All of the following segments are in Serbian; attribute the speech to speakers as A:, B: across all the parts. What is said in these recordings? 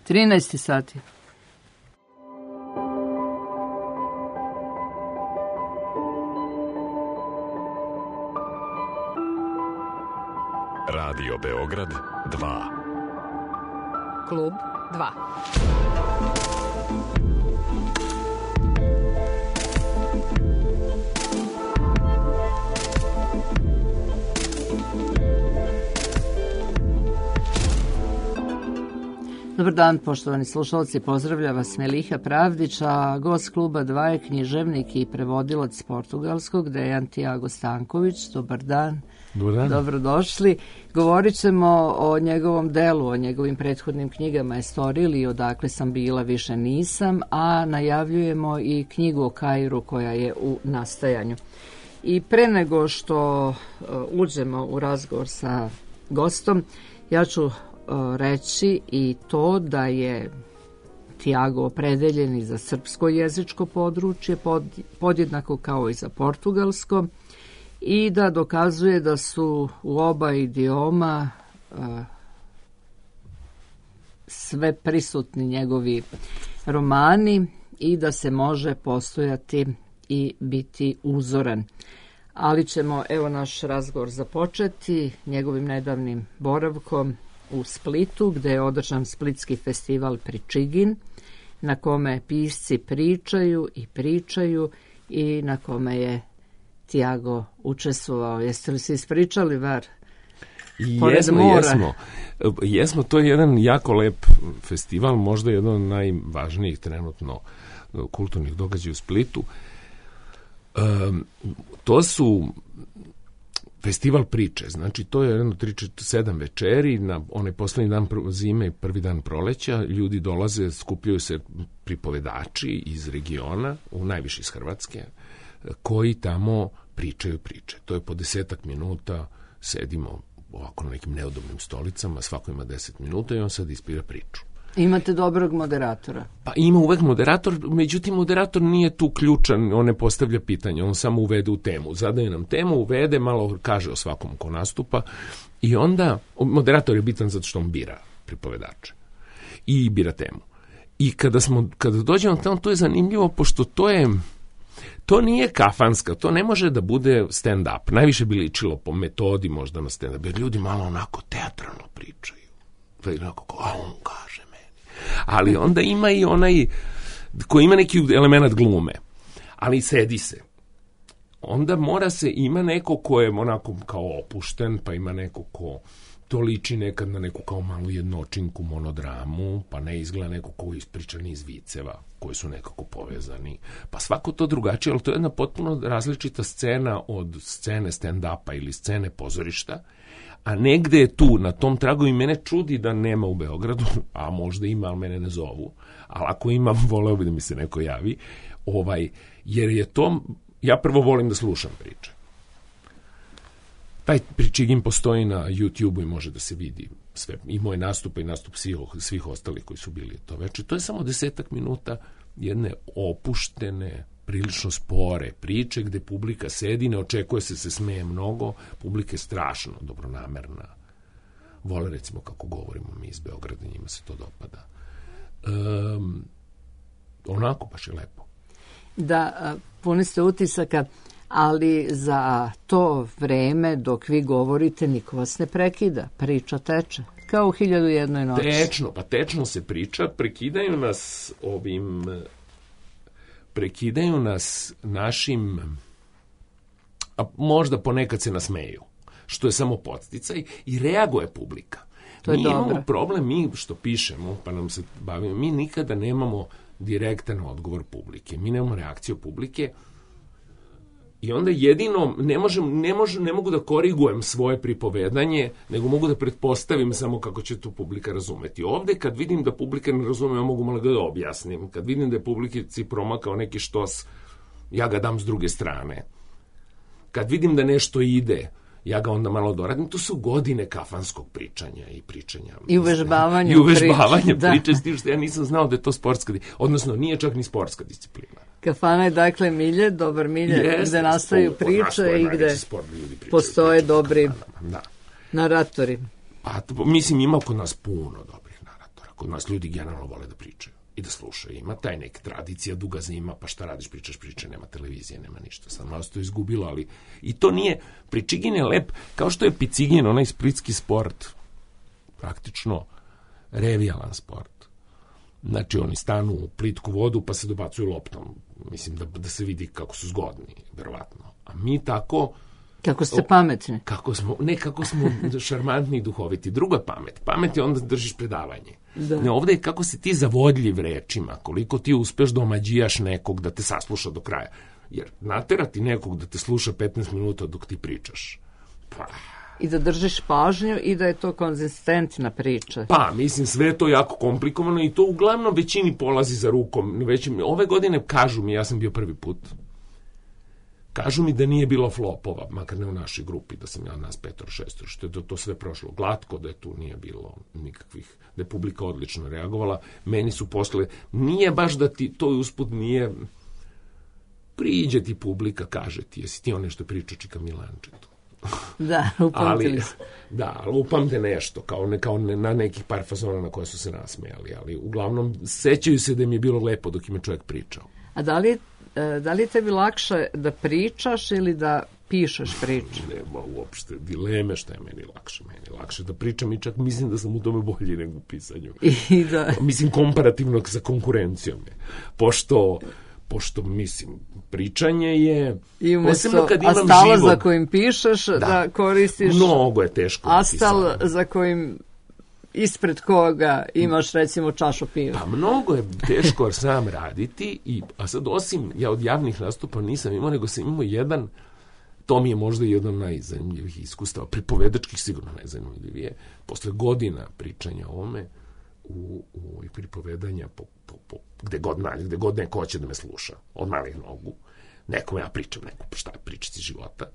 A: 13 sati.
B: Radio Beograd 2.
C: Klub 2.
A: Dobar dan, poštovani slušalci, pozdravlja vas Meliha Pravdić, a gost kluba 2 je književnik i prevodilac portugalskog Dejan Tiago Stanković. Dobar dan.
D: Dobar dan.
A: Dobrodošli. Govorit ćemo o njegovom delu, o njegovim prethodnim knjigama Estoril i Odakle sam bila, više nisam, a najavljujemo i knjigu o Kairu koja je u nastajanju. I pre nego što uđemo u razgovor sa gostom, ja ću reći i to da je Tiago opredeljen i za srpsko jezičko područje, podjednako kao i za portugalsko, i da dokazuje da su u oba idioma sve prisutni njegovi romani i da se može postojati i biti uzoran. Ali ćemo, evo, naš razgovor započeti njegovim nedavnim boravkom u Splitu, gde je održan Splitski festival Pričigin, na kome pisci pričaju i na kome je Tiago učestvovao. Jeste li se ispričali, Var?
D: Jesmo, to je jedan jako lep festival, možda jedan od najvažnijih trenutno kulturnih događaja u Splitu. To su festival priče, znači to je jedno 3-7 večeri, na onaj poslednji dan zime i prvi dan proleća, ljudi dolaze, skupljaju se pripovedači iz regiona, najviše iz Hrvatske, koji tamo pričaju priče. To je po 10 minuta, sedimo ovako na nekim neudobnim stolicama, svako ima 10 minuta i on sad ispira priču.
A: Imate dobrog moderatora?
D: Pa ima uvek moderator, međutim moderator nije tu ključan, on ne postavlja pitanja, on samo uvede u temu. Zadaje nam temu, uvede, malo kaže o svakom ko nastupa i onda moderator je bitan zato što on bira pripovedače i bira temu. I kada dođemo tamo, to je zanimljivo, pošto to nije kafanska, to ne može da bude stand-up. Najviše bi ličilo po metodi možda na stand-up, jer ljudi malo onako teatralno pričaju. To je onako kao, a on kaže meni. Ali onda ima i onaj koji ima neki element glume, ali sedi se. Onda ima neko ko je onako kao opušten, pa ima neko ko to liči nekad na neku kao malu jednočinku monodramu, pa ne izgleda neko ko ispriča niz viceva koji su nekako povezani. Pa svako to drugačije, ali to je jedna potpuno različita scena od scene stand-upa ili scene pozorišta, a negde je tu, na tom tragu, i mene čudi da nema u Beogradu, a možda ima, ali mene ne zovu, ali ako ima, voleo bi da mi se neko javi, jer je to, ja prvo volim da slušam priče. Taj Pričigin postoji na YouTube-u i može da se vidi sve, i moj nastup i nastup svih ostalih koji su bili to veče. To je samo 10 minuta jedne opuštene, prilično spore priče gde publika sedi, ne očekuje se smeje mnogo, publika je strašno dobronamerna. Vole, recimo, kako govorimo mi iz Beograda, njima se to dopada. Onako baš je lepo.
A: Da, puni ste utisaka, ali za to vreme dok vi govorite niko vas ne prekida, priča teče, kao u 1001 noći.
D: Tečno se priča, prekidaju nas našim, a možda ponekad se nasmeju, što je samo podsticaj i reaguje publika. Mi imamo problem, mi što pišemo, pa nam se bavimo, mi nikada nemamo direktan odgovor publike, mi nemamo reakciju publike i onda jedino ne mogu da korigujem svoje pripovedanje, nego mogu da pretpostavim samo kako će to publika razumeti. Ovde kad vidim da publika ne razume, ja mogu malo da objasnim. Kad vidim da je publici promakao neki štos, ja ga dam s druge strane. Kad vidim da nešto ide, ja ga onda malo doradim. To su godine kafanskog pričanja i pričanja.
A: I uvežbavanja
D: priče, s tim što ja nisam znao da je to sportska, odnosno nije čak ni sportska disciplina.
A: Kafana je dakle milje, dobar milje, gde nastaju priče i gde postoje dobri naratori.
D: Pa, mislim, ima kod nas puno dobrih naratora. kod nas ljudi generalno vole da pričaju i da slušaju. Ima taj neka tradicija, duga zima, pa šta radiš, pričaš priče, nema televizije, nema ništa. Sad malo se to izgubilo, ali i to nije, Pričigin je lep, kao što je Picigin, onaj splitski sport, praktično revijalan sport. Znači, oni stanu u plitku vodu, pa se dobacuju loptom. Mislim da se vidi kako su zgodni, verovatno. A mi tako...
A: Kako ste pametni.
D: Kako smo šarmantni i duhoviti. Druga pamet. Pamet je onda držiš predavanje.
A: Da.
D: Ne, ovdje je kako si ti zavodljiv rečima, koliko ti uspeš da omađijaš nekog da te sasluša do kraja. Jer naterati nekog da te sluša 15 minuta dok ti pričaš. Pa...
A: I da držiš pažnju i da je to konzistentna priča.
D: Pa, mislim, sve je to jako komplikovano i to uglavnom većini polazi za rukom. Ove godine kažu mi, ja sam bio prvi put, kažu mi da nije bilo flopova, makar ne u našoj grupi, da sam ja nas 5-6, što je to sve prošlo glatko, da je tu nije bilo nikakvih, da je publika odlično reagovala. Meni su posle, nije baš da ti to usput nije, priđe ti publika, kaže ti, jesi ti on nešto pričao Čika Milančetu.
A: Da, upamtili se.
D: Da, ali upamte nešto, kao na nekih par fazona na koje su se nasmejali, ali uglavnom sećaju se da mi je bilo lepo dok im je čovjek pričao.
A: A da li je tebi lakše da pričaš ili da pišeš priču?
D: Nema uopšte dileme šta je meni lakše. Meni lakše da pričam i čak mislim da sam u tome bolji nego u pisanju.
A: I da... Mislim,
D: komparativno sa konkurencijom je. Pošto, mislim, pričanje je...
A: I umjesto astala za kojim pišeš, da koristiš...
D: Mnogo je teško.
A: Astal za kojim ispred koga imaš, recimo, čašu piva.
D: Pa mnogo je teško sam raditi, a sad osim, ja od javnih nastupa nisam imao, nego sam imao jedan, to mi je možda jedan najzanimljivih iskustava, pripovedačkih sigurno najzanimljivije, posle godina pričanja o ovome, u pripovedanja gde god neko hoće da me sluša, od malih nogu, nekom ja pričam, šta je pričati života,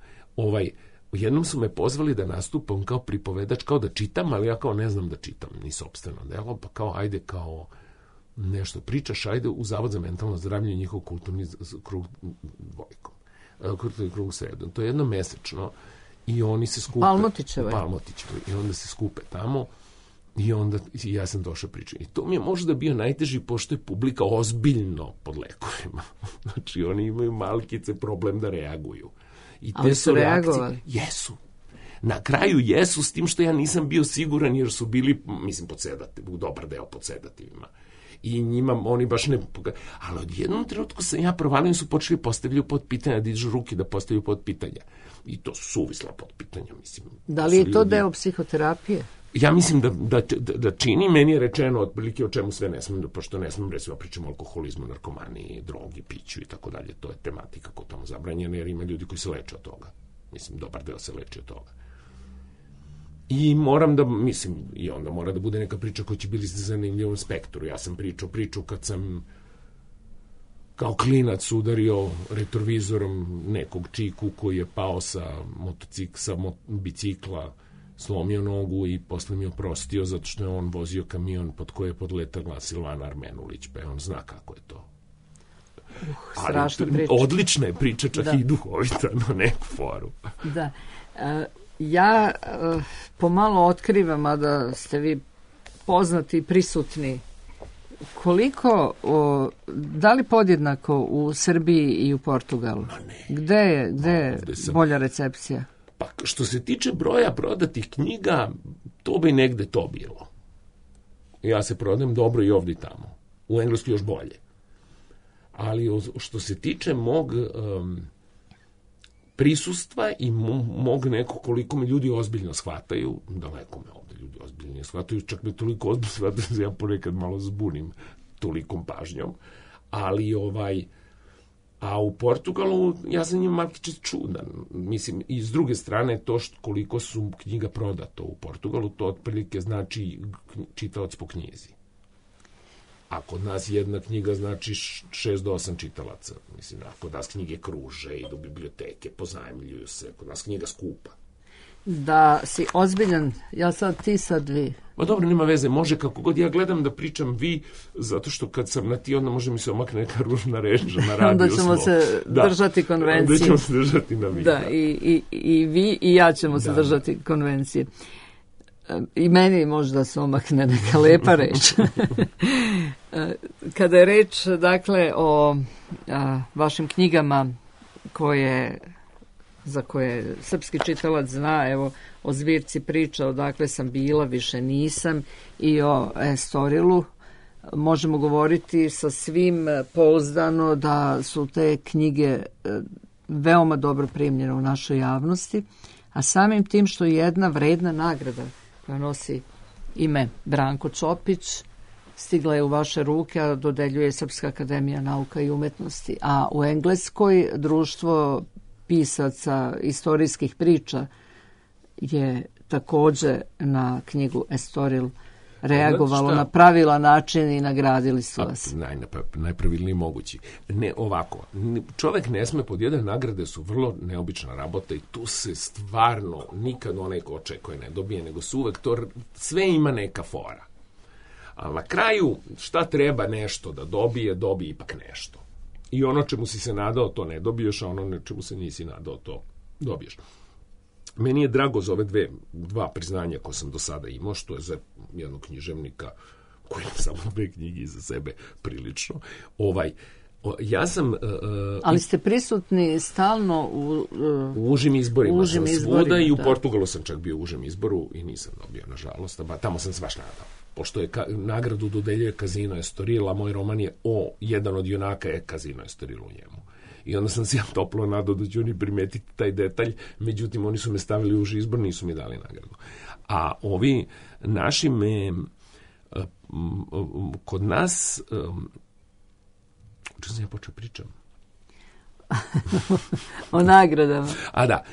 D: jednom su me pozvali da nastupam kao pripovedač, kao da čitam, ali ja kao ne znam da čitam, ni sopstveno delo, pa kao ajde kao nešto pričaš, ajde u Zavod za mentalno zdravlje njihov kulturni krug dvojkom, kulturni krug sredom. To je jednomesečno i oni se skupe.
A: Palmotićevo.
D: I onda se skupe tamo i onda ja sam došao pričati. I to mi je možda bio najteži, pošto je publika ozbiljno pod lekovima. Znači oni imaju malkice problem da reaguju. I te su reakcije, jesu. Na kraju jesu, s tim što ja nisam bio siguran, jer su bili, mislim, u dobar deo pod sedativima. I njima oni baš ne... Ali od jednom trenutku sam ja provalio, su počeli postavljaju pod pitanja, da dižu ruke da postavljaju pod pitanja. I to su suvisla pod pitanja, mislim.
A: Da li je to deo psihoterapije?
D: Ja mislim da čini, meni je rečeno otprilike o čemu sve ne smem, pošto ne smem, recimo, pričam o alkoholizmu, narkomaniji, drogi, piću i tako dalje. To je tematika koja tamo zabranjena, jer ima ljudi koji se leče od toga. Mislim, dobar deo se leči od toga. I moram da, mislim, i onda mora da bude neka priča koja će biti zanimljivom spektru. Ja sam pričao kad sam kao klinac udario retrovizorom nekog čiku koji je pao sa bicikla, slomio nogu i posle mi oprostio zato što je on vozio kamion pod koje je podletala Silvana Armenulić, pa on zna kako je to.
A: Strašna priča.
D: Odlična je priča, čak i duhovita na neku foru.
A: Da. Ja pomalo otkrivam, a da ste vi poznati i prisutni, koliko, da li podjednako u Srbiji i u Portugalu? Gde je bolja recepcija?
D: Pa što se tiče broja prodatih knjiga, to bi negde to bilo. Ja se prodajem dobro i ovdje i tamo. U Engleskoj još bolje. Ali što se tiče mog prisustva i mog nekog koliko me ljudi ozbiljno shvataju, daleko me ovdje ljudi ozbiljno shvataju, čak me toliko ozbiljno shvataju da ja ponekad malo zbunim tolikom pažnjom, ali a u Portugalu ja sam njim malkice čudan. Mislim, i s druge strane to koliko su knjiga prodato u Portugalu, to otprilike znači čitalac po knjizi. A kod nas jedna knjiga znači 6 do 8 čitalaca. Mislim, a kod nas knjige kruže, idu u biblioteke, pozajmljuju se, kod nas knjiga skupa.
A: Da si ozbiljan, ja sad ti, sad vi.
D: Pa dobro, nema veze, može kako god. Ja gledam da pričam vi, zato što kad sam na ti, onda može mi se omakne neka ružna reč na radiju.
A: Onda ćemo se držati konvencije.
D: Onda ćemo se držati na vi.
A: Da, i vi i ja ćemo se držati konvencije. i meni možda se omakne neka lepa reč. Kada je reč, dakle, o vašim knjigama za koje srpski čitalac zna, evo, o zbirci priča Odakle sam bila, više nisam, i o Estorilu, možemo govoriti sa svim pouzdano da su te knjige veoma dobro primljene u našoj javnosti, a samim tim što je jedna vredna nagrada koja nosi ime Branko Čopić stigla je u vaše ruke, a dodeljuje Srpska akademija nauka i umetnosti. A u Engleskoj društvo pisaca istorijskih priča je takođe na knjigu Estoril reagovalo na pravilan način i nagradili su vas.
D: Najpravilniji mogući. Ne ovako, čovek ne sme pod jedan, nagrade su vrlo neobična rabota i tu se stvarno nikad onaj ko očekuje ne dobije, nego su uvek to, sve ima neka fora. Ali na kraju, šta treba nešto da dobije ipak nešto. I ono čemu si se nadao, to ne dobiješ, a ono čemu se nisi nadao, to dobiješ. Meni je drago za ove dva priznanja koje sam do sada imao, što je za jednog književnika koji ima samo 2 knjige iza sebe prilično. Ja sam...
A: Ali ste prisutni stalno u
D: užim izborima. Sam svuda i u Portugalu sam čak bio u užem izboru i nisam dobio, nažalost. Tamo sam se baš nadao. Pošto je nagradu dodeljuje Casino Estoril, a moj roman je jedan od junaka je Casino Estoril u njemu. I onda sam se ja toplo nadao da će oni primetiti taj detalj, međutim oni su me stavili u uži izbor, nisu mi dali nagradu. A ovi naši kod nas, čemu sam ja počeo pričam?
A: O nagradama.
D: A da,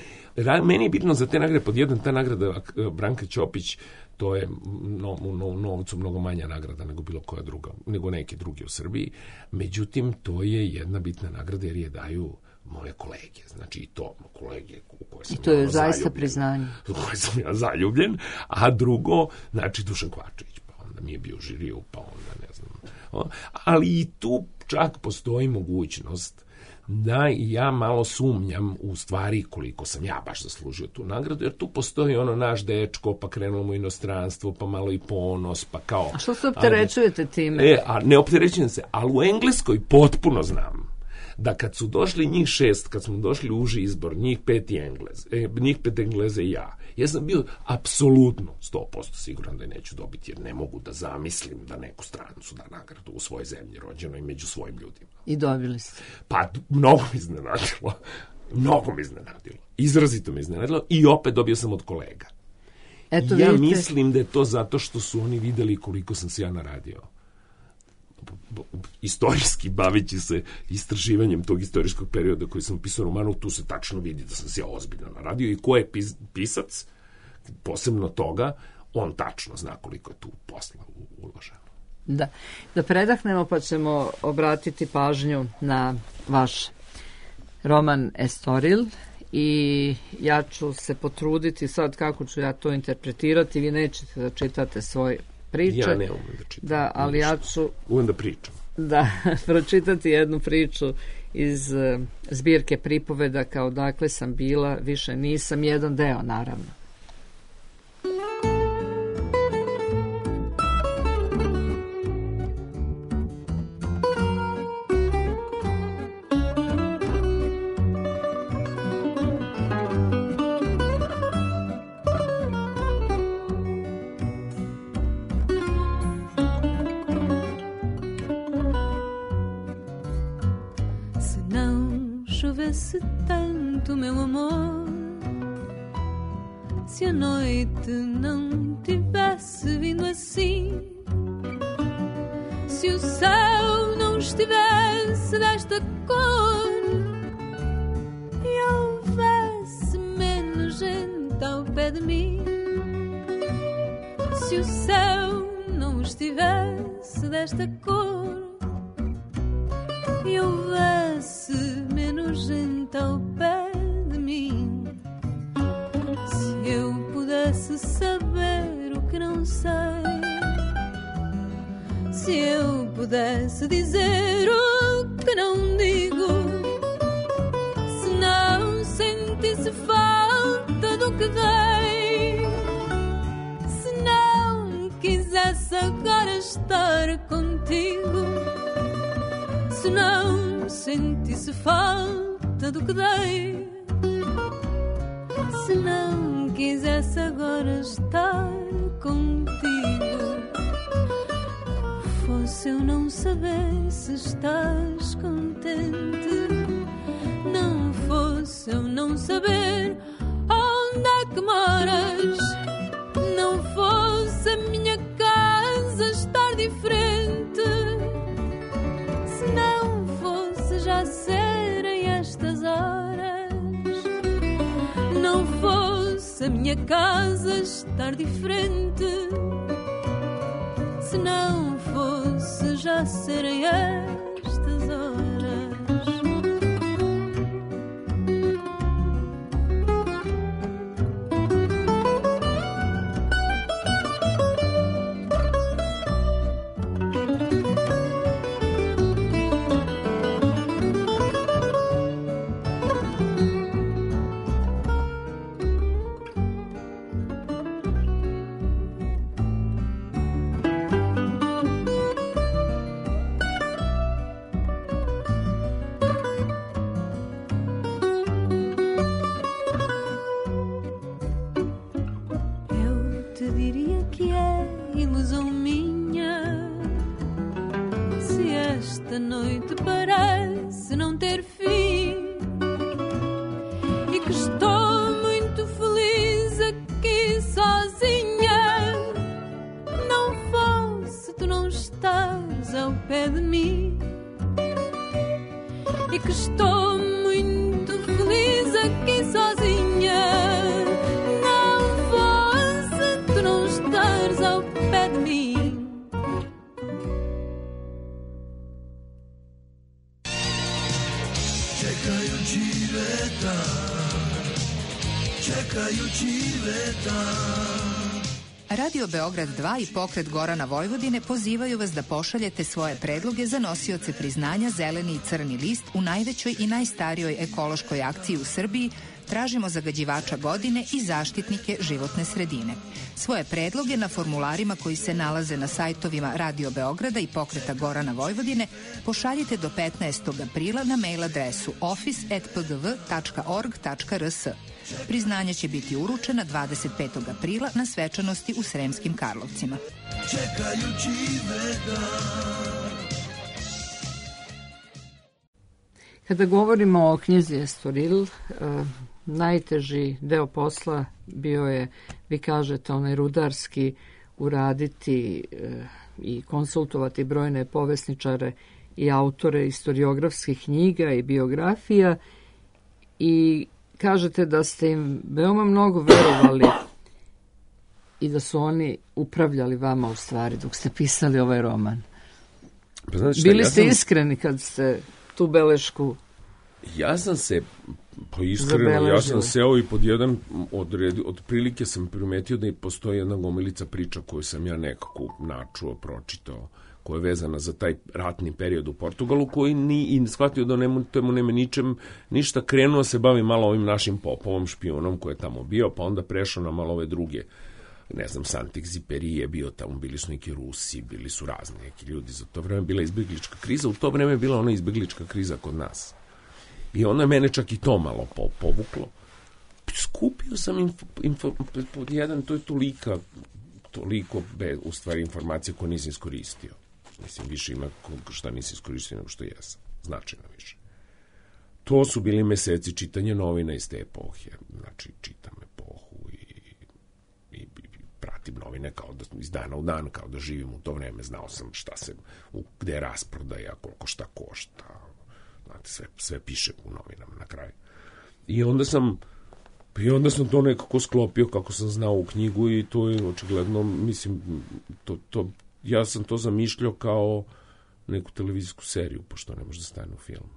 D: meni je bitno za te nagrade, pod jedan ta nagrada Branka Ćopić, to je u novcu mnogo manja nagrada nego bilo koja druga, nego neke druge u Srbiji. Međutim, to je jedna bitna nagrada jer je daju moje kolege. Znači i to kolege u koje sam
A: i to je zaista priznanje. U
D: koje sam ja zaljubljen. A drugo, znači Dušan Kvačević, pa onda mi je bio u žiriju, pa onda ne znam. Ali i tu čak postoji mogućnost da i ja malo sumnjam u stvari koliko sam ja baš zaslužio tu nagradu, jer tu postoji naš dečko, pa krenemo u inostranstvo, pa malo i ponos, pa kao...
A: A što se opterećujete time?
D: Ne opterećujem se, ali u Engleskoj potpuno znam da kad su došli njih 6, kad smo došli u uži izbor, njih 5 Engleze i ja sam bio apsolutno 100% siguran da neću dobiti, jer ne mogu da zamislim da neku strancu da nagradu u svojoj zemlji rođenoj među svojim ljudima.
A: I dobili ste.
D: Pa mnogo mi iznenadilo. Izrazito me iznenadilo i opet dobio sam od kolega.
A: Eto,
D: ja mislim da je to zato što su oni videli koliko sam se ja naradio. Istorijski, baveći se istraživanjem tog istorijskog perioda koji sam pisao romanu, tu se tačno vidi da sam se ja ozbiljno naradio i ko je pisac, posebno toga, on tačno zna koliko je tu posla uloženo.
A: Da predahnemo pa ćemo obratiti pažnju na vaš roman Estoril i ja ću se potruditi sad kako ću ja to interpretirati, vi nećete da čitate svoj priče.
D: Ja ne umem da čitam.
A: Da, ali ja ću...
D: Umem da pričam.
A: Da, pročitati jednu priču iz zbirke pripovedaka Odakle sam bila, više nisam, jedan deo, naravno.
E: Se tanto, meu amor, se a noite não tivesse vindo assim, se o céu não estivesse desta cor e houvesse menos gente ao pé de mim, se o céu não estivesse desta cor e houvesse menos gente ao pé de mim, se eu pudesse saber o que não sei, se eu pudesse dizer o que não digo, se não sentisse falta do que dei, se agora estar contigo. Se não sentisse falta do que dei, se não quisesse agora estar contigo, fosse eu não saber se estás contente, não fosse eu não saber onde é que moras, não fosse a minha casa estar diferente, se não fosse já serem estas horas, não fosse a minha casa estar diferente, se não fosse já serem estas horas.
F: Radio Beograd 2 i Pokret Gorana Vojvodine pozivaju vas da pošaljete svoje predloge za nosioce priznanja Zeleni i Crni list u najvećoj i najstarijoj ekološkoj akciji u Srbiji Tražimo zagađivača godine i zaštitnike životne sredine. Svoje predloge na formularima koji se nalaze na sajtovima Radio Beograda i Pokreta Gorana Vojvodine pošaljite do 15. aprila na mail adresu office@pgv.org.rs. Priznanja će biti uručena 25. aprila na svečanosti u Sremskim Karlovcima.
A: Kada govorimo o knjizi Estoril, najteži deo posla bio je, vi kažete, onaj rudarski, uraditi i konsultovati brojne povesničare i autore istoriografskih knjiga i biografija i kažete da ste im veoma mnogo verovali i da su oni upravljali vama u stvari dok ste pisali ovaj roman.
D: Pa znači,
A: bili ste iskreni kad ste tu belešku
D: ja sam se iskreno, ja sam seo i pod jedan otprilike sam primetio da postoji jedna gomilica priča koju sam ja nekako načuo, pročitao, koja je vezana za taj ratni period u Portugalu, koji i shvatio da temu nema ništa, krenuo se bavi malo ovim našim popovom, špijunom koji je tamo bio, pa onda prešao na malo ove druge, ne znam, Saint-Exupéry je bio tamo, bili su neki Rusi, bili su razni neki ljudi, za to vreme bila izbjeglička kriza, u to vreme je bila ona izbjeglička kriza kod nas. I onda je mene čak i to malo povuklo. Skupio sam pod jedan, to je toliko u stvari informacija koje nisam iskoristio. Mislim, više ima šta nisam iskoristio nego što jesam. Značajno više. To su bili meseci čitanja novina iz te epohe. Znači, čitam epohu i pratim novine kao da iz dana u dan, kao da živim u to vreme. Znao sam šta se, gde je rasprodaja, koliko šta košta. Znate, sve piše u novinama na kraju. I onda sam to nekako sklopio kako sam znao u knjigu i to je očigledno, mislim, ja sam to zamišljao kao neku televizijsku seriju, pošto ne može da stane u film.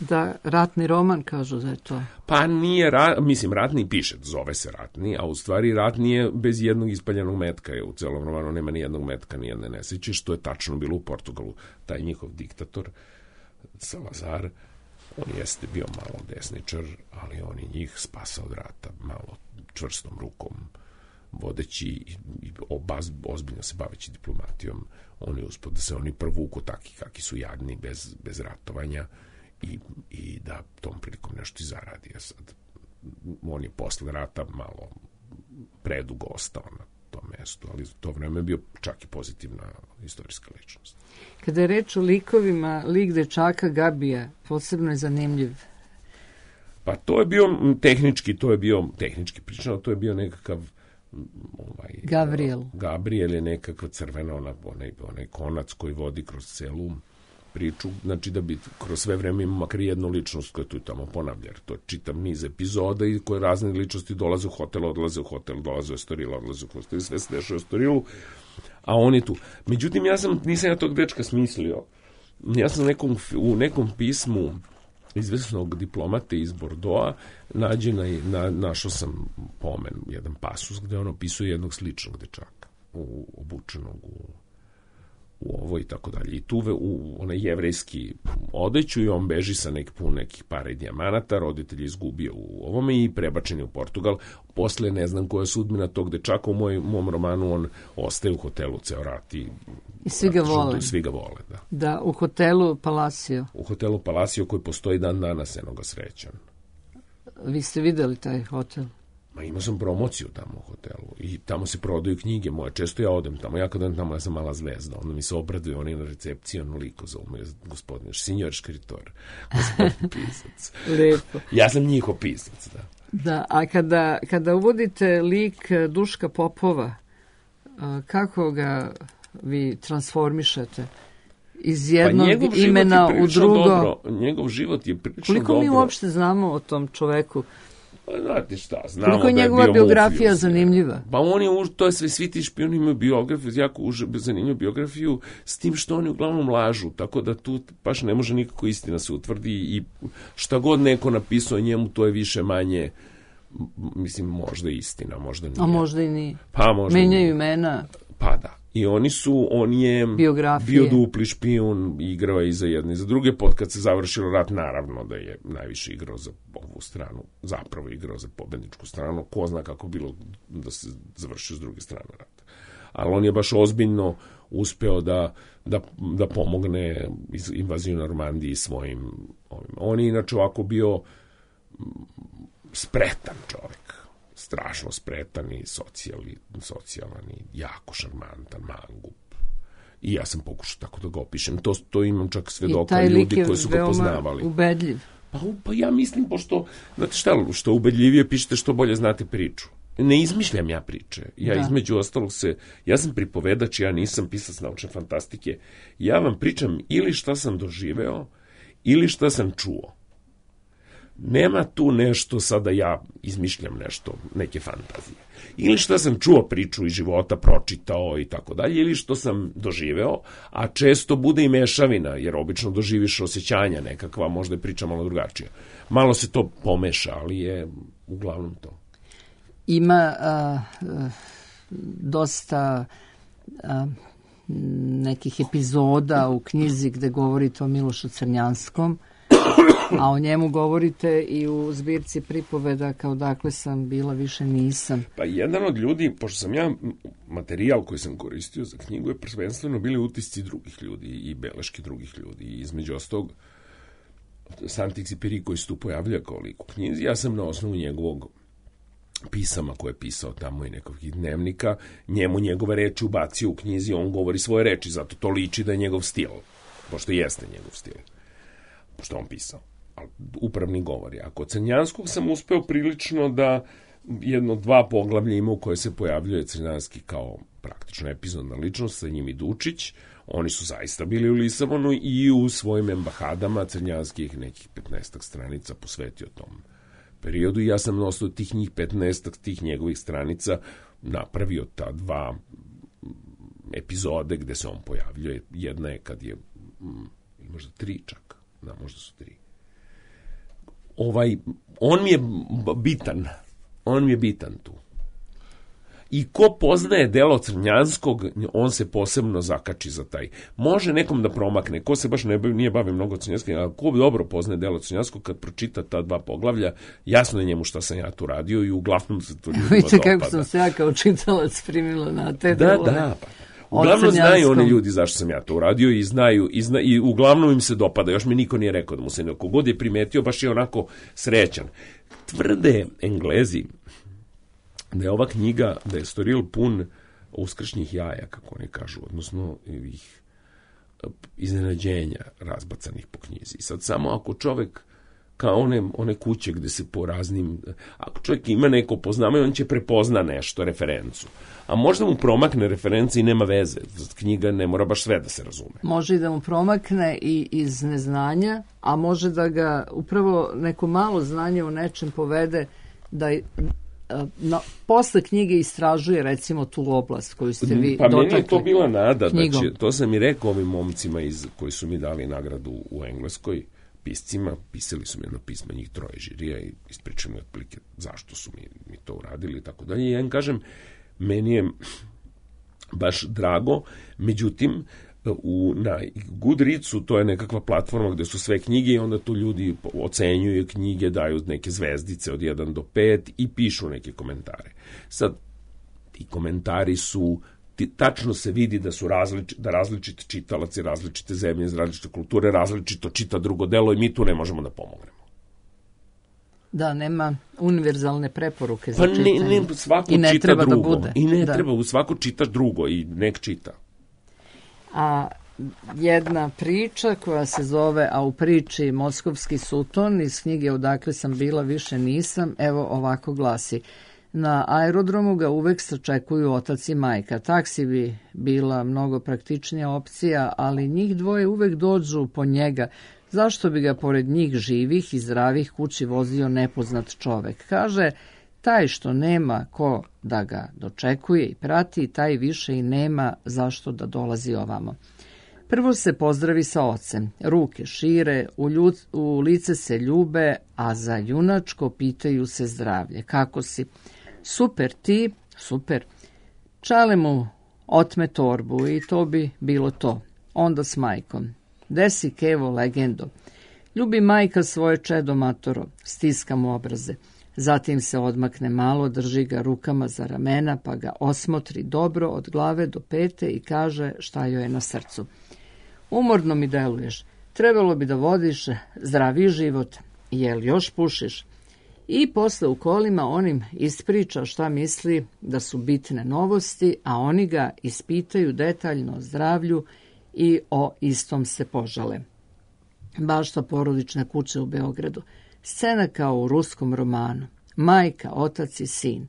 A: Da, ratni roman, kažu da je to.
D: Pa nije, ratni piše, zove se ratni, a u stvari ratni je bez jednog ispaljenog metka, u celom romanu nema ni jednog metka, ni jedne nesreće, što je tačno bilo u Portugalu. Taj njihov diktator, Salazar, on jeste bio malo desničar, ali on je njih spasao od rata malo čvrstom rukom. vodeći i ozbiljno se baveći diplomatijom, on je uspio da se oni provuku takvi kakvi su jadni bez ratovanja i da tom prilikom nešto i zaradi. A sad, on je posle rata malo predugo ostao na tom mestu, ali za to vreme je bio čak i pozitivna istorijska ličnost.
A: Kada je reč o likovima, lik dečaka Gabija posebno je zanimljiv.
D: Pa to je bio tehnički pričano, to je bio nekakav Gabriel je nekakva crvena, onaj konac koji vodi kroz celu priču, znači da bi kroz sve vreme imao makar jednu ličnost koja tu i tamo ponavlja. To je čitav niz epizoda i koje razne ličnosti dolaze u hotel, odlaze u hotel, dolaze u Estoril, odlaze u hotel, sve se dešava u Estorilu, a on je tu. Međutim, nisam ja tog dečka smislio. Ja sam u nekom pismu izvesnog diplomate iz Bordeauxa našao sam pomen, jedan pasus gde on opisuje jednog sličnog dečaka obučenog u ovo i tako dalje. I tu u onaj jevrejski odeću i on beži sa nekih para i dijamanata, roditelj je izgubio u ovome i prebačen je u Portugal. Posle ne znam koja je sudbina tog dečaka, u mom romanu on ostaje u hotelu ceo rat i
A: svi ga vole.
D: Svi ga vole, da.
A: Da, u hotelu Palacio.
D: U hotelu Palacio koji postoji dan danas, eno ga srećan.
A: Vi ste videli taj hotel?
D: Ma imao sam promociju tamo u hotelu i tamo se prodaju knjige moje, često ja odem tamo, ja kad odem tamo ja sam mala zvezda, onda mi se obraduje oni na recepciji, onoliko zovu me gospodin, signor škritor, gospodin pisac.
A: Lepo.
D: Ja sam njihov pisac, da.
A: Da, a kada uvodite lik Duška Popova, kako ga vi transformišete? Iz jednog imena u drugo.
D: Dobro. Njegov život je prilično dobro.
A: Koliko mi uopšte znamo o tom čoveku?
D: Znate šta, znamo
A: koliko je njegova biografija zanimljiva?
D: Pa on je, to je svi ti špijuni imaju biografiju, jako zanimljivu biografiju, s tim što oni uglavnom lažu, tako da tu baš ne može nikako istina se utvrdi i šta god neko napisao njemu, to je više manje, mislim, možda istina, možda nije.
A: A možda i nije.
D: Pa možda
A: menjaju imena.
D: Pa da. I on je bio dupli špijun, igrao je i za jedne i za druge. Kad se završilo rat, naravno da je najviše igrao za ovu stranu, zapravo igrao za pobedničku stranu. Ko zna kako bilo da se završio s druge strane rata. Ali on je baš ozbiljno uspeo da pomogne invaziju Normandiji svojim ovim. On je inače ovako bio spretan čovjek. Strašno spretan i socijalan i jako šarmantan, mangup. I ja sam pokušao tako da ga opišem. To imam čak svedoka ljudi koji su ga poznavali.
A: Ubedljiv.
D: Pa ja mislim, pošto, znate šta, što ubedljivije pišete, što bolje znate priču. Ne izmišljam ja priče. Između ostalog ja sam pripovedač, ja nisam pisac naučne fantastike. Ja vam pričam ili šta sam doživeo, ili šta sam čuo. Nema tu nešto sada ja izmišljam nešto, neke fantazije. Ili što sam čuo priču iz života, pročitao i tako dalje, ili što sam doživeo, a često bude i mešavina, jer obično doživiš osjećanja nekakva, možda je priča malo drugačija. Malo se to pomeša, ali je uglavnom to.
A: Ima dosta nekih epizoda u knjizi gde govorite o Milošu Crnjanskom, a o njemu govorite i u zbirci pripoveda kao dakle sam bila, više nisam.
D: Pa jedan od ljudi, pošto sam ja materijal koji sam koristio za knjigu je prvenstveno bili utisci drugih ljudi i beleške drugih ljudi. I između ostalog Saint-Exupéry koji se tu pojavlja kao lik u knjizi, ja sam na osnovu njegovog pisama koje je pisao tamo i nekakvih dnevnika, njegove reči ubacio u knjizi, on govori svoje reči, zato to liči da je njegov stil, pošto jeste njegov stil. Što on pisao, ali upravni govori. A kod Crnjanskog sam uspeo prilično da 1-2 poglavlja ima u koje se pojavljuje Crnjanski kao praktično epizodna ličnost, sa njim i Dučić. Oni su zaista bili u Lisabonu i u svojim embahadama Crnjanskih nekih 15 stranica posvetio tom periodu i ja sam na osnovu tih njih 15 tih njegovih stranica napravio ta 2 epizode gde se on pojavljuje. Jedna je kad je možda 3 čak. Da, možda su 3. On mi je bitan tu. I ko poznaje delo Crnjanskog, on se posebno zakači za taj. Može nekom da promakne, ko se baš nije bavio mnogo Crnjanskim, a ko dobro poznaje delo Crnjanskog, kad pročita ta 2 poglavlja, jasno je njemu šta sam ja tu radio i uglavnom se to ljudima dopada.
A: Vidite kako sam se ja kao čitalac primila na te delove.
D: Da. Uglavnom znaju oni ljudi zašto sam ja to uradio i znaju i uglavnom im se dopada. Još mi niko nije rekao da mu se neko god je primetio, baš je onako srećan. Tvrde Englezi da je ova knjiga, da je Estoril pun uskršnjih jaja, kako oni kažu, odnosno ih iznenađenja razbacanih po knjizi. Sad samo ako čovek kao one kuće gde se po raznim, ako čovjek ima neko poznavanje, on će prepozna nešto, referencu. A možda mu promakne referenci i nema veze. Knjiga ne mora baš sve da se razume.
A: Može i da mu promakne i iz neznanja, a može da ga upravo neko malo znanje u nečem povede da posle knjige istražuje recimo tu oblast koju ste vi dotakli.
D: Pa meni je to bila nada, to sam i rekao ovim momcima koji su mi dali nagradu u Engleskoj, piscima, pisali su mi jedno pismo, njih 3 žirija i ispričali mi otprilike zašto su mi to uradili i tako dalje. I ja im kažem, meni je baš drago, međutim, na Goodreadsu to je nekakva platforma gde su sve knjige i onda tu ljudi ocenjuju knjige, daju neke zvezdice od 1 do 5 i pišu neke komentare. Sad, ti komentari su, tačno se vidi da su različiti čitalaci, različite zemlje, iz različite kulture, različito čita drugo delo i mi tu ne možemo da pomognemo.
A: Da, nema univerzalne preporuke za čitanje.
D: Pa svako
A: i ne
D: čita
A: treba
D: drugo.
A: Da bude.
D: I ne treba, svako čita drugo i nek čita.
A: A jedna priča koja se zove A u priči Moskovski suton iz knjige Odakle sam bila, više nisam, evo ovako glasi. Na aerodromu ga uvek sačekuju otac i majka. Taksi bi bila mnogo praktičnija opcija, ali njih 2 uvek dođu po njega. Zašto bi ga pored njih živih i zdravih kući vozio nepoznat čovek? Kaže, taj što nema ko da ga dočekuje i prati, taj više i nema zašto da dolazi ovamo. Prvo se pozdravi sa ocem, ruke šire, u lice se ljube, a za junačko pitaju se zdravlje. Kako si? Super, ti? Super. Čale mu otme torbu i to bi bilo to. Onda s majkom. Desi kevo legendo. Ljubi majka svoje čedo matoro, stiska mu obraze. Zatim se odmakne malo, drži ga rukama za ramena, pa ga osmotri dobro od glave do pete i kaže šta joj je na srcu. Umorno mi deluješ, trebalo bi da vodiš zdravi život, jel još pušiš? I posle u kolima on im ispriča šta misli da su bitne novosti, a oni ga ispitaju detaljno o zdravlju i o istom se požale. Bašta porodične kuće u Beogradu. Scena kao u ruskom romanu. Majka, otac i sin.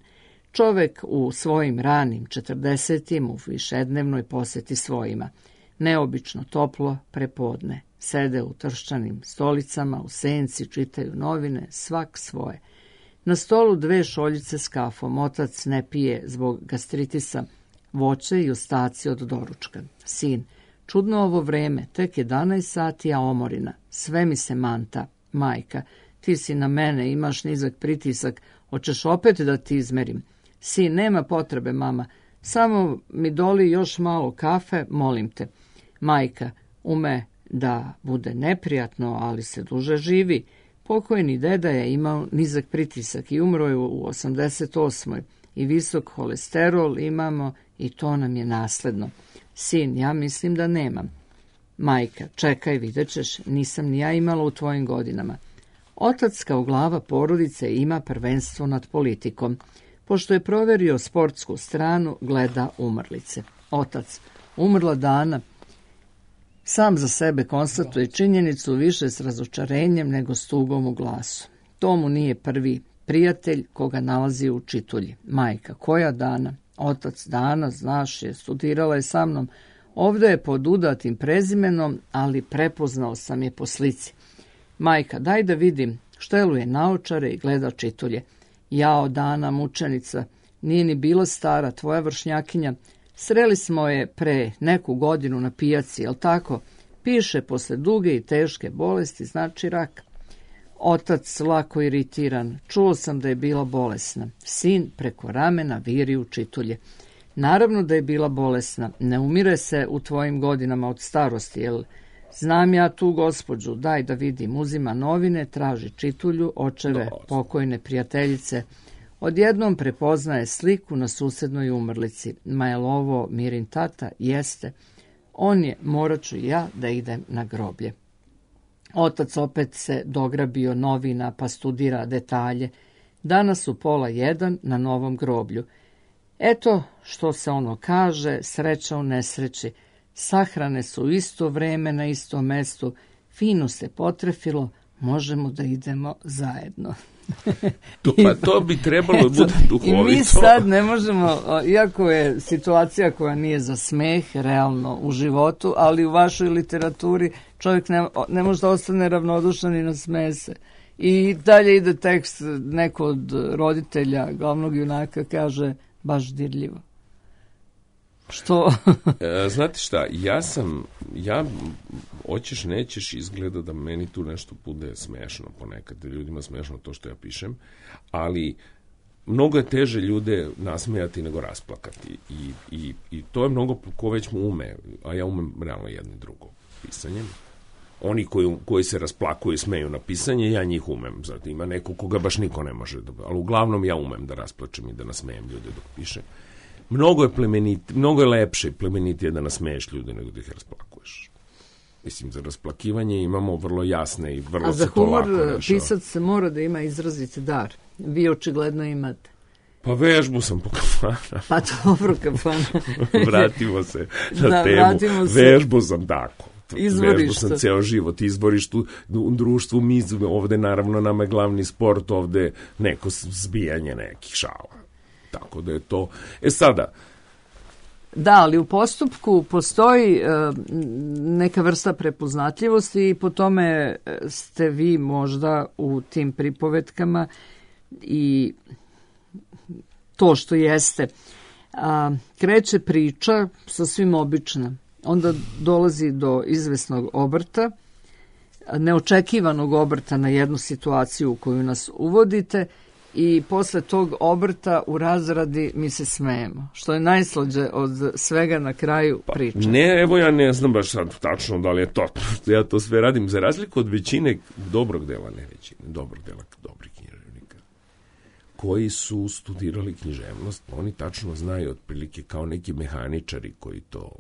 A: Čovek u svojim ranim 40-im u višednevnoj poseti svojima. Neobično toplo prepodne. Sede u trščanim stolicama, u senci, čitaju novine, svak svoje. Na stolu 2 šoljice s kafom. Otac ne pije zbog gastritisa, voće i ostaci od doručka. Sin, čudno ovo vreme, tek 11 sati, a omorina. Sve mi se manta. Majka, ti si na mene, imaš nizak pritisak, hoćeš opet da ti izmerim. Sin, nema potrebe, mama, samo mi doli još malo kafe, molim te. Majka, ume da bude neprijatno, ali se duže živi. Pokojni deda je imao nizak pritisak i umro je u 88. I visok holesterol imamo i to nam je nasledno. Sin, ja mislim da nemam. Majka, čekaj, vidjet ćeš, nisam ni ja imala u tvojim godinama. Otac kao glava porodice ima prvenstvo nad politikom. Pošto je proverio sportsku stranu, gleda umrlice. Otac, umrla Dana, sam za sebe konstatuje činjenicu više s razočarenjem nego s tugom u glasu. To mu nije prvi prijatelj koga nalazi u čitulji. Majka, koja Dana? Otac, Dana, znaš je, studirala je sa mnom. Ovde je pod udatim prezimenom, ali prepoznao sam je po slici. Majka, daj da vidim, šteluje naočare i gleda čitulje. Jao, Dana, mučenica, nije ni bila stara, tvoja vršnjakinja. Sreli smo je pre neku godinu na pijaci, jel tako? Piše, posle duge i teške bolesti, znači rak. Otac lako iritiran. Čuo sam da je bila bolesna. Sin preko ramena viri u čitulje. Naravno da je bila bolesna. Ne umire se u tvojim godinama od starosti, jel? Znam ja tu gospođu, daj da vidim. Uzima novine, traži čitulju, očeve pokojne prijateljice. Odjednom prepoznaje sliku na susednoj umrlici. Ma je li ovo Mirin tata? Jeste. On je, morat ću ja da idem na groblje. Otac opet se dograbio novina pa studira detalje. Danas u 12:30 na novom groblju. Eto što se ono kaže, sreća u nesreći. Sahrane su u isto vreme na istom mestu. Fino se potrefilo, možemo da idemo zajedno.
D: To bi trebalo da bude duhovito.
A: I mi sad ne možemo, iako je situacija koja nije za smeh realno u životu, ali u vašoj literaturi čovjek ne može da ostane ravnodušan i nasmeje se. I dalje ide tekst, neko od roditelja glavnog junaka kaže baš dirljivo. Što?
D: Znate šta, ja hoćeš, nećeš, izgleda da meni tu nešto bude smešno ponekad, ljudima smešno to što ja pišem, ali mnogo je teže ljude nasmejati nego rasplakati i to je mnogo ko već mu ume, a ja umem realno jedno i drugo pisanjem. Oni koji se rasplakuju i smeju na pisanje, ja njih umem. Zato ima neko koga baš niko ne može, ali uglavnom ja umem da rasplačem i da nasmejem ljude dok pišem. Mnogo je lepše i plemenitije da nasmeješ ljude nego da ih rasplakuješ. Mislim, za rasplakivanje imamo vrlo jasne i vrlo se to lako rešava.
A: A za humor pisac mora da ima izraziti dar. Vi očigledno imate.
D: Pa vežbu sam po kafana.
A: Pa dobro, kafana.
D: Vratimo se na temu. Vežbu sam tako. Vežbu sam ceo život. Izboriš tu u društvu. Mi ovde, naravno, nama je glavni sport ovde neko zbijanje nekih šala. Tako da je to... sada...
A: Da, ali u postupku postoji neka vrsta prepoznatljivosti i po tome ste vi možda u tim pripovetkama i to što jeste. Kreće priča sasvim obična. Onda dolazi do izvesnog obrta, neočekivanog obrta na jednu situaciju u koju nas uvodite i posle tog obrta u razradi mi se smejemo, što je najslađe od svega na kraju priče.
D: Ne, evo ja ne znam baš sad tačno da li je to, ja to sve radim za razliku od većine dobrog dela, ne većine, dobrog dela dobrih književnika, koji su studirali književnost, oni tačno znaju otprilike kao neki mehaničari koji to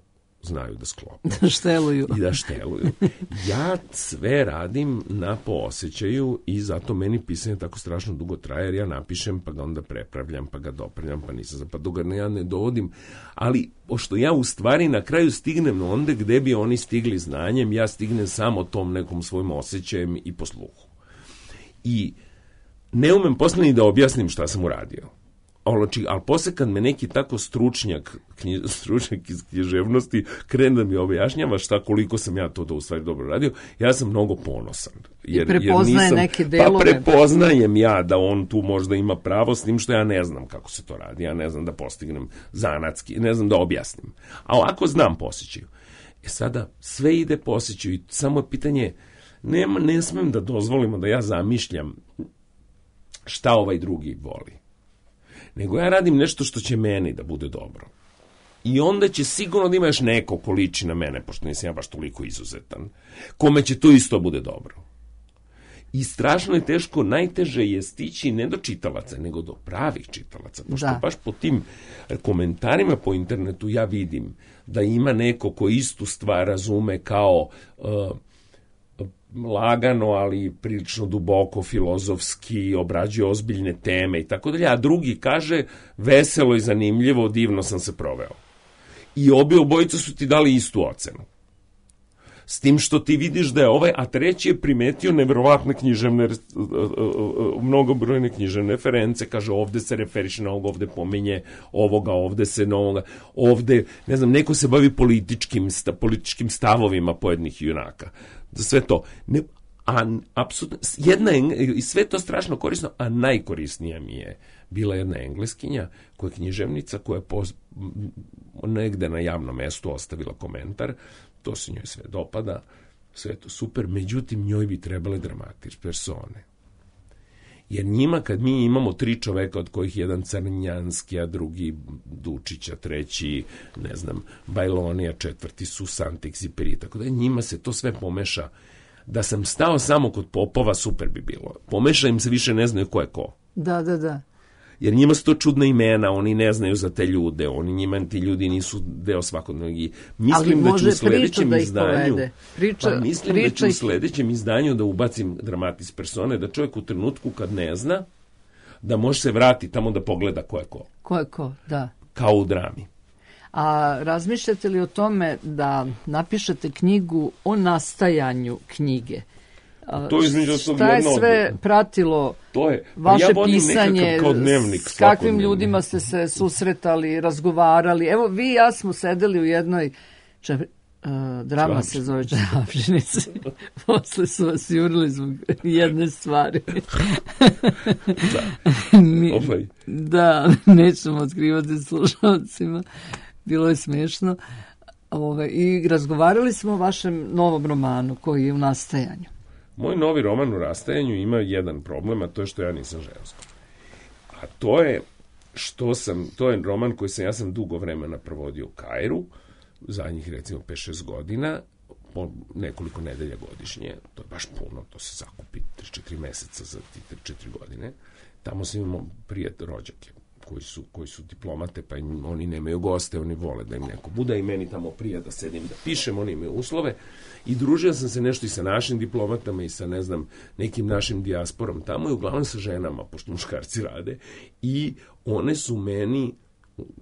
D: znaju da sklope.
A: Da šteluju.
D: I da šteluju. Ja sve radim na poosećaju i zato meni pisanje tako strašno dugo traje, jer ja napišem, pa ga onda prepravljam, pa ga dopravljam, pa nisam, pa dok ga ja ne dovodim. Ali, pošto ja u stvari na kraju stignem onda gde bi oni stigli znanjem, ja stignem samo tom nekom svojim osjećajem i posluhu. I ne umem posle ni da objasnim šta sam uradio. Ali posle kad me neki tako stručnjak iz književnosti krene da mi objašnjava šta koliko sam ja to da u stvari dobro radio, ja sam mnogo ponosan.
A: I prepoznaje neke delove.
D: Pa prepoznajem ja da on tu možda ima pravo, s tim što ja ne znam kako se to radi, ja ne znam da postignem zanatski, ne znam da objasnim. A ovako znam po osjećaju. Sada sve ide po osjećaju i samo je pitanje, ne smem da dozvolimo da ja zamišljam šta ovaj drugi voli. Nego ja radim nešto što će meni da bude dobro. I onda će sigurno da ima još neko ko liči na mene, pošto nisam ja baš toliko izuzetan, kome će to isto bude dobro. I strašno je teško, najteže je stići ne do čitalaca, nego do pravih čitalaca. Pošto baš po tim komentarima po internetu ja vidim da ima neko ko istu stvar razume kao... lagano, ali prilično duboko, filozofski, obrađuje ozbiljne teme i tako dalje, a drugi kaže veselo i zanimljivo, divno sam se proveo. I obojica su ti dali istu ocenu. S tim što ti vidiš da je ovaj, a treći je primetio neverovatne književne, mnogobrojne književne reference, kaže ovde se referiše na ovog, ovde pominje ovoga, ovde se na ovoga, ovde, ne znam, neko se bavi političkim stavovima pojednih junaka. Za sve to. Apsolutno, i sve to strašno korisno, a najkorisnija mi je bila jedna Engleskinja, koja je književnica, koja je negde na javnom mestu ostavila komentar, to se njoj sve dopada, sve je to super, međutim njoj bi trebale dramatične persone. Jer njima, kad mi imamo 3 čoveka, od kojih jedan Crnjanski, a drugi Dučić, a treći, ne znam, Bajlonija, 4. Susantik-Ziperi, tako da njima se to sve pomeša. Da sam stao samo kod popova, super bi bilo. Pomeša im se, više ne znaju ko je ko.
A: Da.
D: Jer njima su to čudna imena, oni ne znaju za te ljude, njima ti ljudi nisu deo svakodnevnog. Mislim da ću u sledećem izdanju, da ću u sledećem izdanju da ubacim dramatis persone, da čovjek u trenutku kad ne zna, da može se vrati tamo da pogleda ko je ko.
A: Ko je ko, da.
D: Kao u drami.
A: A razmišljate li o tome da napišete knjigu o nastajanju knjige?
D: To je
A: šta je sve pratilo vaše pisanje,
D: kao dnevnik,
A: s kakvim ljudima ste se susretali, razgovarali? Evo, vi i ja smo sedeli u jednoj drama se zove Čarapšinice. Posle su vas jurili zbog jedne stvari. Da, nećemo otkrivati slušalcima. Bilo je smiješno. I razgovarali smo o vašem novom romanu koji je u nastajanju.
D: Moj novi roman u rastajanju ima jedan problem, a to je što ja nisam žensko. A to je to je roman koji ja sam dugo vremena provodio u Kairu, zadnjih recimo 5-6 godina, po nekoliko nedelja godišnje, to je baš puno, to se zakupi 3-4 meseca za ti 3-4 godine. Tamo sam imao rođake koji su diplomate, pa oni nemaju goste, oni vole da im neko bude i meni tamo prija da sedim da pišem, oni imaju uslove. I družio sam se nešto i sa našim diplomatama i sa, ne znam, nekim našim dijasporom tamo i uglavnom sa ženama, pošto muškarci rade. I one su meni,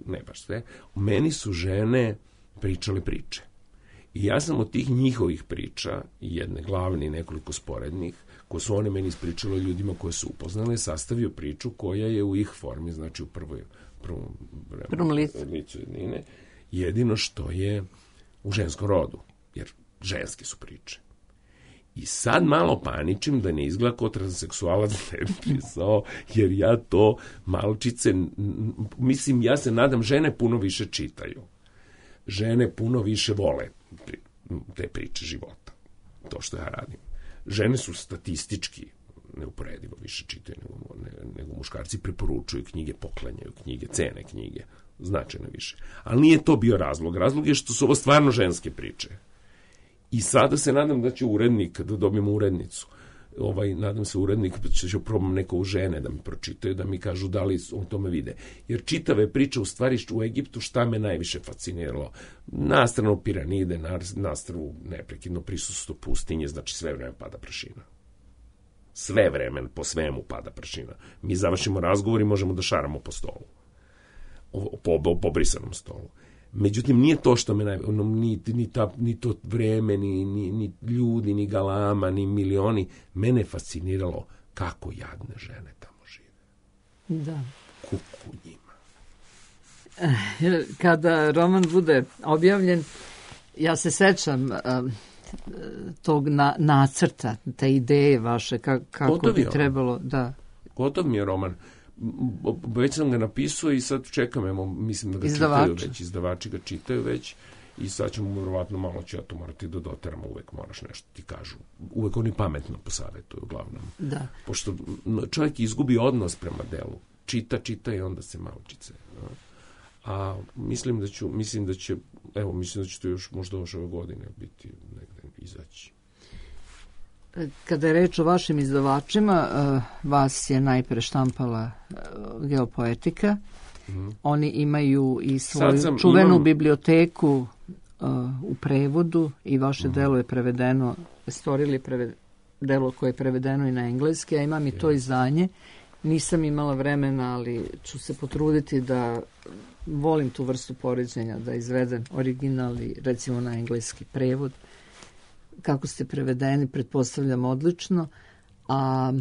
D: ne baš sve, meni su žene pričale priče. I ja sam od tih njihovih priča, jedne glavne i nekoliko sporednih, koje su one meni ispričale ljudima koje su upoznale, sastavio priču koja je u ih formi, znači u prvom licu jednine, jedino što je u ženskom rodu, jer ženske su priče. I sad malo paničim da ne izgleda kao transseksualac ne bi pisao, jer ja to malčice, mislim, ja se nadam, žene puno više čitaju. Žene puno više vole te priče života, to što ja radim. Žene su statistički neuporedivo više čitaju nego muškarci, preporučuju knjige, poklanjaju knjige, cene knjige, značajno više. Ali nije to bio razlog. Razlog je što su ovo stvarno ženske priče. I sada se nadam da će urednik, da dobijemo urednicu. Nadam se urednik, će probam neko u žene da mi pročitaju, da mi kažu da li o tome vide. Jer čitave priče u stvari u Egiptu šta me najviše fasciniralo. Nastrano piramide, nastrano neprekidno prisustvo pustinje, znači sve vreme pada prašina. Sve vreme, po svemu pada prašina. Mi završimo razgovor i možemo da šaramo po stolu. Po brisanom stolu. Međutim, nije to što me ni to vreme, ni ljudi, ni galama, ni milioni. Mene fasciniralo kako jadne žene tamo žive.
A: Da.
D: Kuku njima.
A: Kada roman bude objavljen, ja se sećam tog nacrta, te ideje vaše, kako bi trebalo. Da.
D: Gotov mi je roman. Već sam ga napisao i sad čekam, mislim da ga čitaju već, izdavači ga čitaju već i sad ćemo verovatno malo ću ja to morati da doteramo, uvek moraš nešto ti kažu. Uvek oni pametno posavetuju uglavnom. Da. Pošto čovjek izgubi odnos prema delu. Čita i onda se malčice. A mislim da će to još možda ove godine biti negde izaći.
A: Kada je reč o vašim izdavačima, vas je najpre štampala Geopoetika. Oni imaju i svoju čuvenu biblioteku u prevodu i vaše delo je prevedeno, stvorili delo koje je prevedeno i na engleski, a imam i to izdanje. Nisam imala vremena, ali ću se potruditi da volim tu vrstu poređenja, da izvedem original i recimo na engleski prevod. Kako ste prevedeni, pretpostavljam odlično, a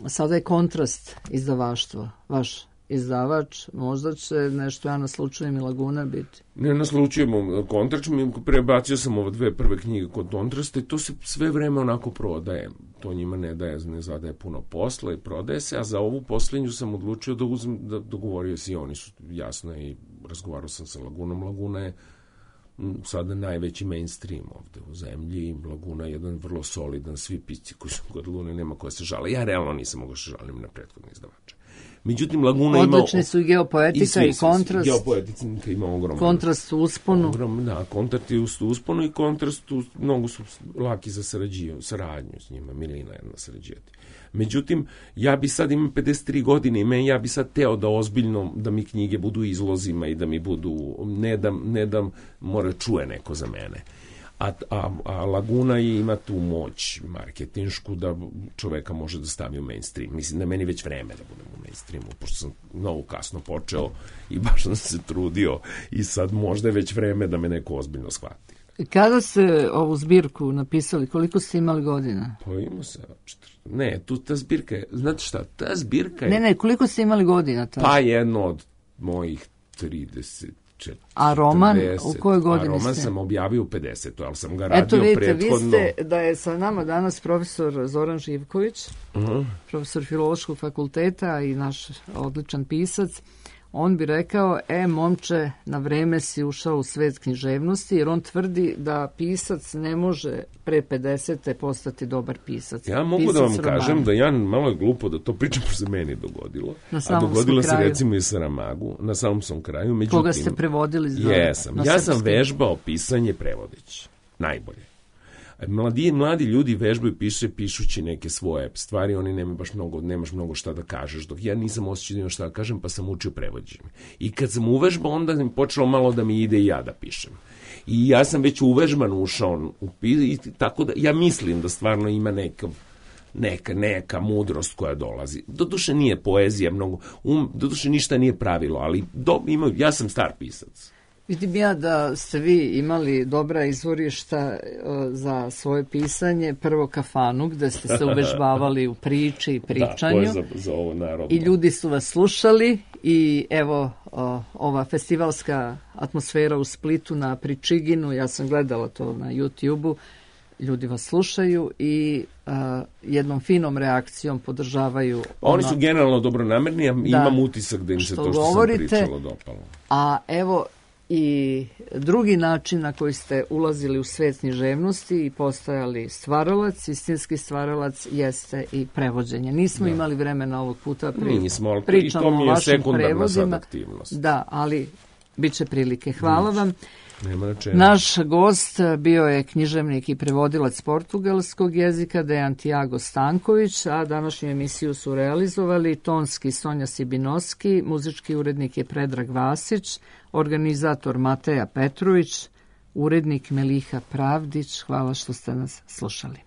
A: sada je Kontrast izdavaštvo. Vaš izdavač, možda će nešto ja naslučujem i Laguna biti.
D: Ne naslučujemo Kontrast, prebacio sam ove 2 prve knjige kod Kontrasta i to se sve vreme onako prodaje. To njima ne zadaje puno posla i prodaje se, a za ovu posljednju sam odlučio da dogovorio se i oni su jasno i razgovarao sam sa Lagunom. Laguna je sada najveći mainstream ovde u zemlji. Laguna je jedan vrlo solidan, svi pisci koji su kod Lune, nema koja se žale. Ja realno nisam mogao se žalim na prethodne izdavače. Međutim, Laguna ima...
A: Odlični su i geopoetika i kontrast.
D: Geopoetika ima ogroman.
A: Kontrast u usponu.
D: Da, kontrast je u usponu i kontrast mnogo su laki za saradnju s njima. Milina jedna sarađivati. Međutim, ja bi sad imam 53 godine i ja bi sad teo da ozbiljno, da mi knjige budu izlozima i da mi budu, ne da mora čuje neko za mene. A Laguna ima tu moć marketinšku da čoveka može da stavi u mainstream. Mislim da je meni već vreme da budem u mainstreamu, pošto sam mnogo kasno počeo i baš sam se trudio i sad možda je već vreme da me neko ozbiljno shvati.
A: Kada ste ovu zbirku napisali, koliko ste imali godina?
D: Pa imao se, ta zbirka je, znate šta, ta zbirka je...
A: Ne, koliko ste imali godina?
D: Pa jedno od mojih 30...
A: A roman u kojoj godini ste?
D: A roman sam objavio u 50. ali sam ga radio prethodno.
A: Eto vidite, vi ste, da je sa nama danas profesor Zoran Živković, profesor Filološkog fakulteta i naš odličan pisac. On bi rekao, momče, na vreme si ušao u svet književnosti, jer on tvrdi da pisac ne može pre 50. postati dobar pisac.
D: Ja mogu da vam kažem da ja malo je glupo da to pričam, što se meni dogodilo. A dogodilo se recimo i Saramagu, na samom sam kraju. Međutim,
A: koga ste prevodili?
D: Jesam. Ja sam vežbao pisanje prevodeći. Najbolje. Mladi ljudi vežbaju pišući neke svoje stvari, oni nemaš mnogo šta da kažeš, dok ja nisam osjećao da imam šta da kažem, pa sam učio prevođenje. I kad sam uvežbao, onda mi počelo malo da mi ide i ja da pišem. I ja sam već uvežban ušao u pisanje, tako da ja mislim da stvarno ima neka mudrost koja dolazi. Doduše nije poezija mnogo, doduše ništa nije pravilo, ali ja sam star pisac.
A: Vidim ja da ste vi imali dobra izvorišta za svoje pisanje, prvo kafanu, gde ste se uvežbavali u priči i pričanju.
D: Da, to je za ovo narodno.
A: I ljudi su vas slušali i evo ova festivalska atmosfera u Splitu na Pričiginu, ja sam gledala to na YouTube-u, ljudi vas slušaju i jednom finom reakcijom podržavaju.
D: Oni su generalno dobronamerni, a imam utisak da im se to što sam pričalo dopalo.
A: A evo i drugi način na koji ste ulazili u svet književnosti i postajali stvaralac, istinski stvaralac, jeste i prevođenje. Nismo imali vremena ovog puta pričamo o vašim prevodima. Da, ali bit će prilike. Hvala vam. Naš gost bio je književnik i prevodilac portugalskog jezika Dejan Tiago Stanković, a današnju emisiju su realizovali tonski Sonja Sibinoski, muzički urednik je Predrag Vasić, organizator Mateja Petrović, urednik Meliha Pravdić. Hvala što ste nas slušali.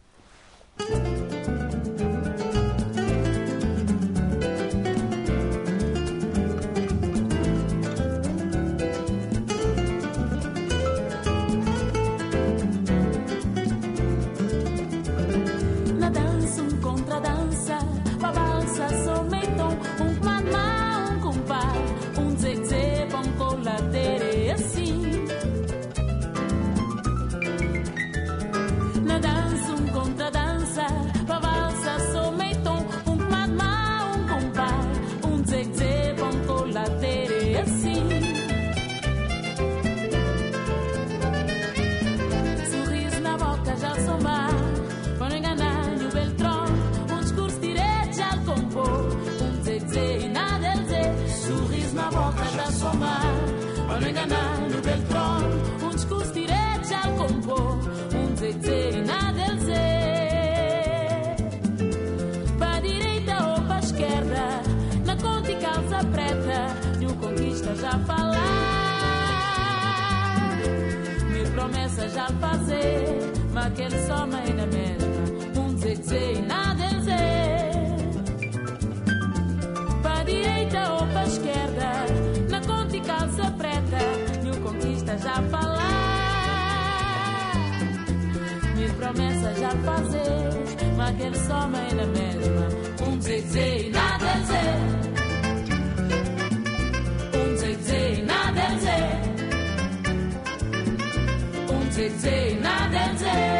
E: Já falar, mil promessas já fazer, mas aquele só mãe na mesma, dizer e nada dizer. Para direita ou para esquerda, na conta e calça preta, mil conquistas já falar, mil promessas já fazer, mas aquele só mãe na mesma, dizer e nada dizer. Nada dizer, nada dizer.